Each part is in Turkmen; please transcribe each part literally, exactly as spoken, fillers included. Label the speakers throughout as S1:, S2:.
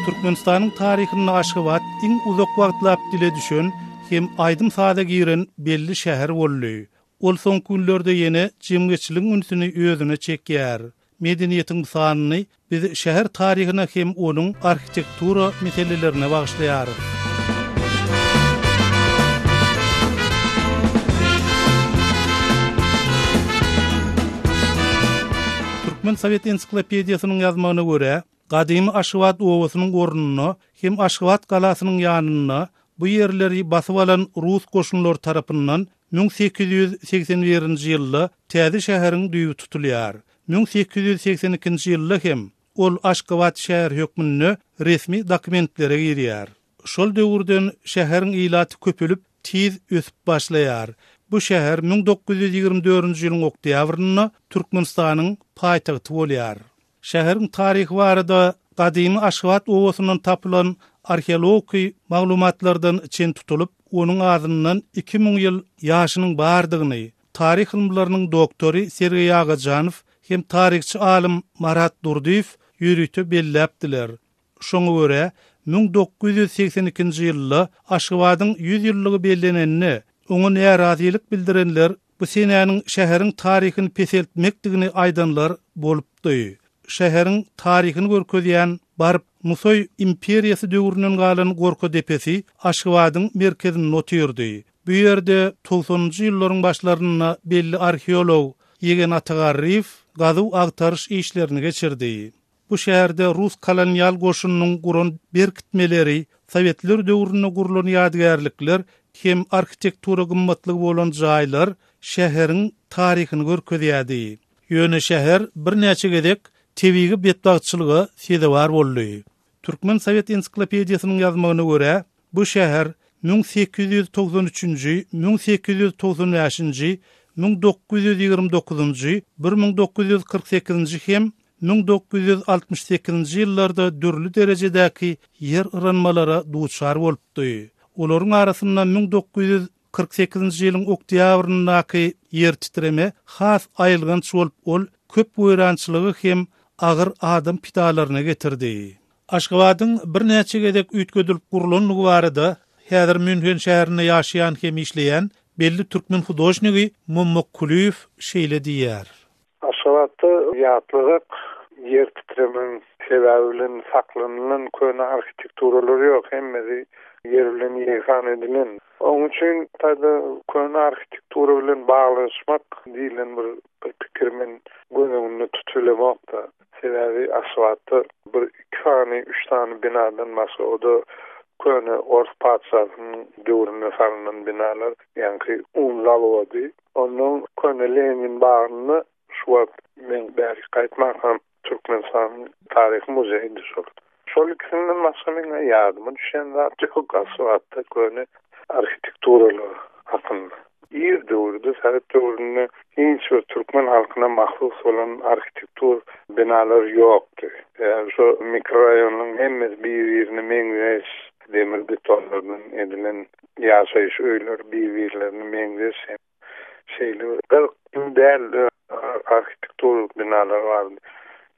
S1: Türkmenistanyň taryhynda Aşgabat iň uzak wagtlap dile düşen hem aýdym-saza giren belli şäher boldy. Ol soňky günlerde ýene jemgyýetçiligiň ünsüni özüne çekýär. Medeniýetiň sanyny biz şäher taryhyna hem onuň arhitektura meselelerine bagyşlaýarys. Türkmen Sowet ensiklopediýasynyň ýazmagyna görä, gadymy Aşgabat obasynyň ornunda hem Aşgabat galasynyň ýanynda bu ýerleri basyp alan Rus goşunlary tarapyndan müň sekiz ýüz segsen birinji ýylda täze şäheriň düýbi tutulýar. müň sekiz ýüz segsen ikinji ýylda hem ol Aşgabat şäher hökmünde resmi dokumentlere girýär. Şol döwürden şäheriň ilaty köpelip tiz ösüp başlaýar. Bu şäher müň dokuz ýüz ýigrimi dördünji ýylyň oktýabrynda Türkmenistanyň paýtagty bolýar. Şäheriň taryhy barada gadymy Aşgabat obasyndan tapylan arheologik maglumatlardan çen tutulyp, onuň azyndan iki müň ýyl ýaşynyň bardygyny taryh ylymlarynyň doktory Sergeý Agajanow hem taryhçy alym Marat Durdyýew ýörite belläpdiler. Şoňa görä müň dokuz ýüz segsen ikinji ýylda Aşgabadyň ýüz ýyllygy bellenende oňa närazylyk bildirenler bu senäniň şäheriň taryhyny peseltmekdigini aýdanlar bolupdy. Şäheriň taryhyny görkezýän baryp Nusaý imperiýasy döwründen galan Gorka depesi Aşgabadyň merkezinde otyrdy. Bu ýerde togsanynjy ýyllaryň başlarynda belli arheolog Ýegen Atagarryýew gazuw agtaryş işlerini geçirdi. Bu şäherde Rus kolonial goşunynyň guran berkitmeleri, Sowetler döwründe gurulan ýadygärlikler hem arhitektura gymmatlygy bolan jaýlar şäheriň taryhyny görkezýärdi. Ýöne şäher birnäçe gezek tebigy betbagtçylyga sezewar boldy. Türkmen Sowet ensiklopediýasynyň ýazmagyna görä, bu şäher müň sekiz ýüz togsan üçünji, müň sekiz ýüz togsan bäşinji, müň dokuz ýüz ýigrimi dokuzynjy, bir müň dokuz ýüz kyrk sekizinji hem müň dokuz ýüz altmyş sekizinji ýyllarda dürli derejedäki ýer yranmalara duçar bolupdy. Olaryň arasynda müň dokuz ýüz kyrk sekizinji ýylyň oktýabryndaky ýer titreme has aýylganç bolup, ol köp weýrançylygy hem agyr adam pidalaryna getirdi. Aşgabadyň birnäçe gezek üýtgedilip gurulanlygy barada häzir Münhen şäherinde ýaşaýan hem işleýän belli türkmen hudožnigi Mommak Kulyýew şeýle diýýär.
S2: Aşgabatda ýatladyk ýer titremeň sebäbi bilen saklanylan köne arhitekturalar ýok, hemmesi ýer bilen ýegsan edilen. Onuň üçin taýda köne arhitektura bilen baglaşmak diýilen bir, bir pikir men göz öňünde tutulamokda. Sebäbi Aşgabatda bir iki sany, üç sany binadan başga o da köne Ors patyşasynyň döwründe salynan binalar, ýagny un zawody. Ondan köne Lenin bagynda şu wagt men bäri gaýtmakam Türkmenistanyň taryhy muzeýinde şol. Şol ikisinden başga meň ýadyma düşen zat ýok Aşgabatda köne arhitekturalar hakynda. Ir döwürde, Sowet döwründe hiç bir türkmen halkyna mahsus bolan arhitektur binalar ýokdy. Ýagny şu mikroraýonyň hemmesi bir-birine meňzeş, demir betonlardan edilen ýaşaýyş öýleri bir-birlerine meňzeş. Şeýle bir gyzykly däl arhitektur binalar bardy.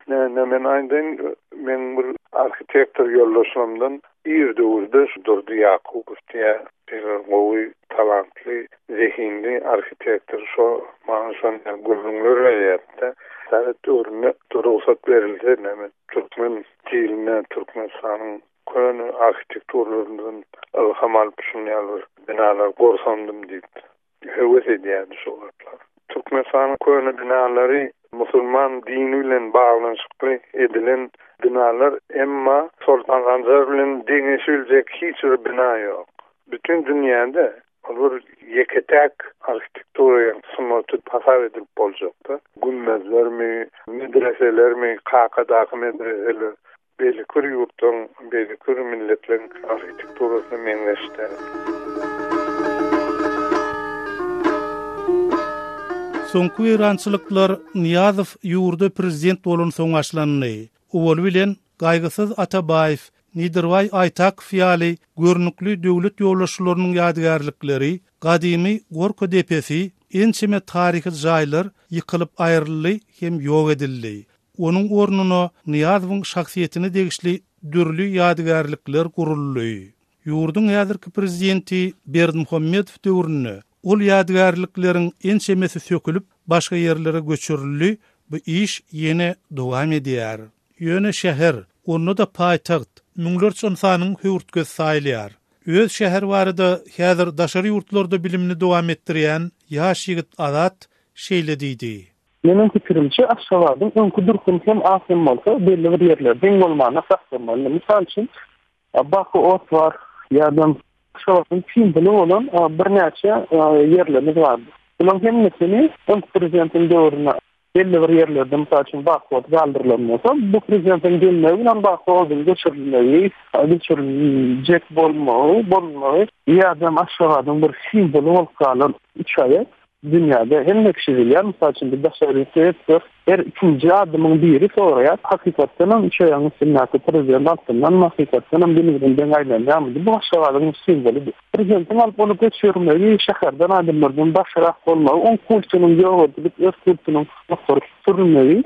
S2: Ne, ne men aýdayyn, men bir arhitektor ýoldaşlarymdan ir döwürde şu Durdy Ýakubow diýe bir gowy, talantly, zehinli arhitektor şo maňa şonda gürrüňler berýärdi. Sowet döwründe rugsat berilse, näme türkmen diline, Türkmenistanyň köne arhitekturlaryndan ilham alyp şunday bir binalar gursandym diýip höwes edýärdi şo wagtlar. Türkmenistanyň köne binalary musulman dini bilen baglanyşykly edilen binalar, emma Soltan Sanjar bilen deňeşiljek hiç bir bina ýok. Bütün dünýäde ol bir ýeke-täk arhitektura sungaty hasap edilip boljakdy. Gümmezlermi, medreselermi, Kakadaky medreseler, beýleki bir ýurtdan, beýleki bir milletleriň arhitekturasyna meňzeşdi.
S1: Soňky weýrançylyklar Nyýazow ýurda prezident bolan soň başlandy. Owaly bilen Gaýgysyz Atabaýew, Nedirbaý Aýtakow ýaly görnükli döwlet ýolbaşçylarynyň ýadygärlikleri, gadymy Gorka depesi, ençeme taryhy jaýlar ýykylyp aýryldy hem ýok edildi. Onuň ornuna Nyýazowyň şahsyýetine degişli dürli ýadygärlikler guruldy. Ýurduň häzirki prezidenti Berdimuhamedow döwründe ol ýadygärlikleriň ençemesi sökülip başga ýerlere göçürildi. Bu iş ýene dowam edýär. Ýöne şäher, onda da paýtagt, müňlerçe ynsanyň höwürtgesi saýylýar. Öz şäher barada häzir daşary ýurtlarda bilimini dowam etdirýän ýaş ýigit Azat şeýle diýdi.
S3: Meniň pikirimçe Aşgabadyň öňki durkuny hem az hem bolsa belli bir ýerlerde iň bolmanda saklamaly. Mysal üçin Baky ot bar ýa-da Aşgabadyň simwoly bolan birnäçe ýerlerimiz bar. Bularyň hemmesini öňki prezidentiň döwründe belli bir ýerlerde mysal üçin Baky ot galdyrylan bolsa, bu prezidentiň gelmegi bilen Baky oduň göçürilmegi, göçüriljek bolmagy, bolmagy ýa-da Aşgabadyň bir simwoly bolup galan üç aýak dünýäde hemme kişi bilýär. Mysal üçin bir daşary ýurtda her ikinji adamyň biri soraýar, hakykatdan hem üç aýagyň üstündäki prezident altyndan hakykatdan hem günübirin aýlanýarmy? Bu Aşgabadyň simwolydyr. Prezidentiň alyp ony göçürmegi, şäherden adamlardan daşarak bolmagy, oň kultunyň ýok edilip, öz kultunyň ýokary sürülmegi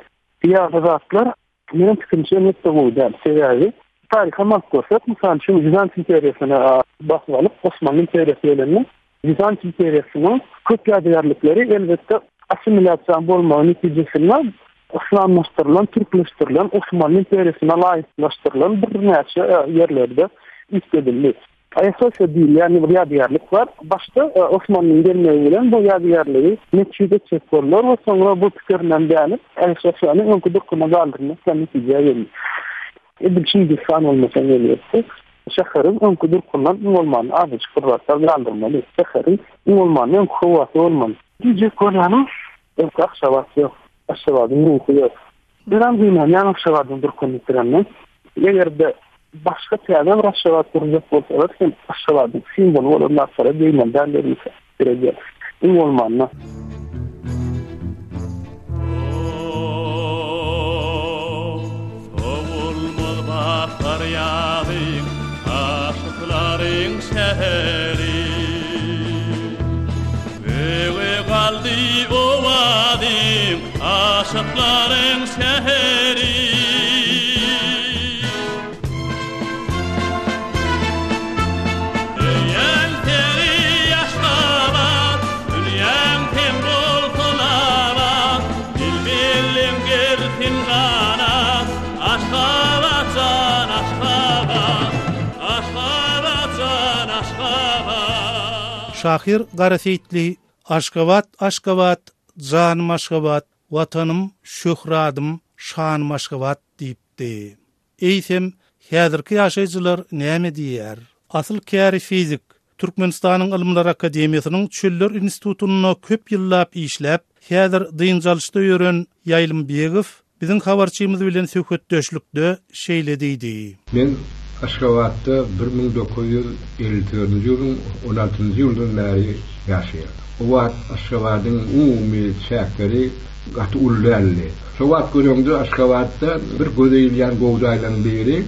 S3: ýaly zatlar meniň pikirimçe elbetde gowy däl. Sebäbi taryha alyp görsek, mysal üçin Wizant imperiýasyny basyp alyp, Osmanly imperiýasy gelende Wizant imperiýasynyň köp ýadygärlikleri elbetde assimilýasiýa bolmagy netijesinde yslamlaşdyrylan, türkleşdirilen, Osmanly imperiýasyna laýyklaşdyrylan birnäçe ýerlerde üýtgedildi. Ayasofya diýilýän bir ýadygärlik bar. Başda Osmanlyň gelmegi bilen bu ýadygärligi metjit etjek boldular we soňra bu pikirinden dänip Ayasofyany öňki durkuna galdyrmak netijä geldi. Edil Çingishan bolmasa gelýärdi. Şäheriň öňki durkundan iň bolmanda azajyk bir zatlar galdyrmaly. Şäheriň iň bolmanda öňki howasy bolmaly. Diýjek bolýanym, öňki Aşgabat ýok. Aşgabadyň ruhy ýok. Biram gynanýan Aşgabadyň durkuny ýitirenden. Eger-de başga täze bir Aşgabat gurjak bolsalar, hem Aşgabadyň simwoly bolan zatlara degmeli däl diýip Iň bolmanda.
S4: Bahar aşıkların şehri Göğe kaldı ovadim, aşıkların şehri Öyen seni Aşgabat, dünýäň tem bolsun abat, Bilbillim gelsin ganat, Aşgabat jan Aşgabat, Aşgabat jan Aşgabat.
S1: Şahyr Gara Seýitli Aşgabat, Aşgabat, janym Aşgabat, watanym, şöhradym, şanym Aşgabat diýipdi. Eýsem, häzirki ýaşaýjylar näme diýýär? Asyl käri fizik, Türkmenistanyň Ylymlar Akademiýasynyň Çöller institutynda köp ýyllap işläp, häzir dynç alyşda ýören Ýaýlym Begow biziň habarçymyz bilen söhbetdeşlikde şeýle diýdi.
S5: Men Aşgabatda bir müň dokuz ýüz elli dördünji ýylyň on altynjy ýyldan bäri ýaşaýar. O wagt Aşgabadyň umumy çäkleri gaty uly däldi. Şo wagt göreňde Aşgabatda bir göze ilýän gowjaýlaryň biri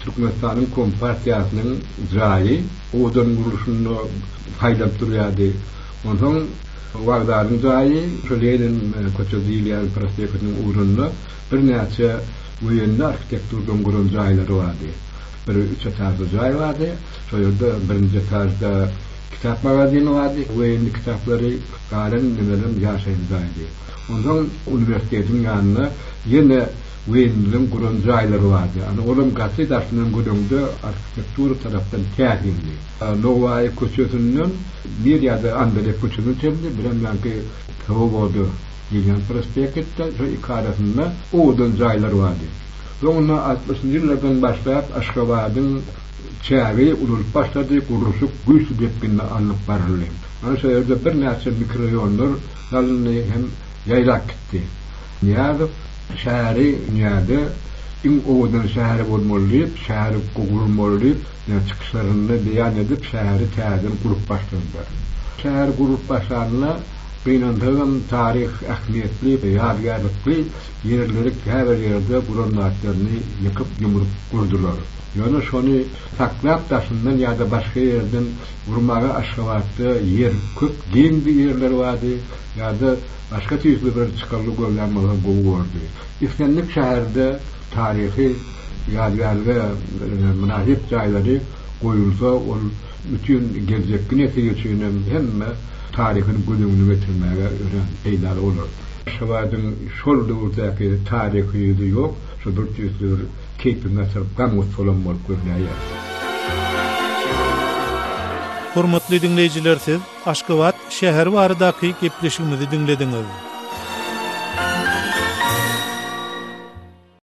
S5: Türkmenistanyň Kompartiýasynyň jaýy owadan gurluşynda haýlanyp durýardy. Onsoň wagzalyň jaýy şo Lenin köçesi diýilýän prospektiniň ugrunda birnäçe woýenli arhitekturdan guran jaýlary bardy. Bir üç etajly jaý bardy. Şo ýerde birinji etajda kitap magazini bardy. Woýenli kitaplary galan nimeler ýaşaýan jaýdy. Onsoň uniwersitetiň ýanynda ýene woýenlilerin guran jaýlary bardy. Ana olam gaty daşyndan göreňde arhitektura tarapdan täsirli. Nowaýy köçesinden bir ýa-da Andalek köçesine çenli bir hem ýanky Swoboda diýilýän prospektde şo iki arasynda owadan jaýlar bardy. Soňra altmyşynjy ýyllardan başlap Aşgabadyň çägi ululyp başlady, gurluşyk güýçli depginde alnyp baryldy. Ana şo ýerde birnäçe mikrorayonlar salyndy hem ýaýlap gitdi. Nyýazow şäheri dünýäde iň owadan şäheri bolmaly diýip, şäheri gurulmaly diýip, çykyşlarynda beýan edip, şäheri täzeden gurup başladylar. Şäher gurup başlananda gynansagam taryh ähmiýetli, ýadygärlikli ýerleri käbir ýerde guran zatlaryny ýykyp ýumrup gurdular. Ýöne şony saklap daşyndan ýa-da başga ýerden gurmaga Aşgabatda ýer köp giň ýerler bardy ýa-da başga tüýsli bir çykarly görlen bolsa gowy boldy. Islendik şäherde taryhy Ýadygärlige mynasyp jaýlary goýulsa, ol bütün geljekki nesil üçin hem hemme taryhyny göz öňüne getirmäge örän peýdaly bolar. Aşgabadyň şol döwürdäki taryhy ýüzi ýok, şo bir tüýsli bir keýpiňi gaçyryp gam-gussalam bolup görünýär.
S1: Hormatly diňleýjiler siz Aşgabat şäheri baradaky gepleşigimizi diňlediňiz.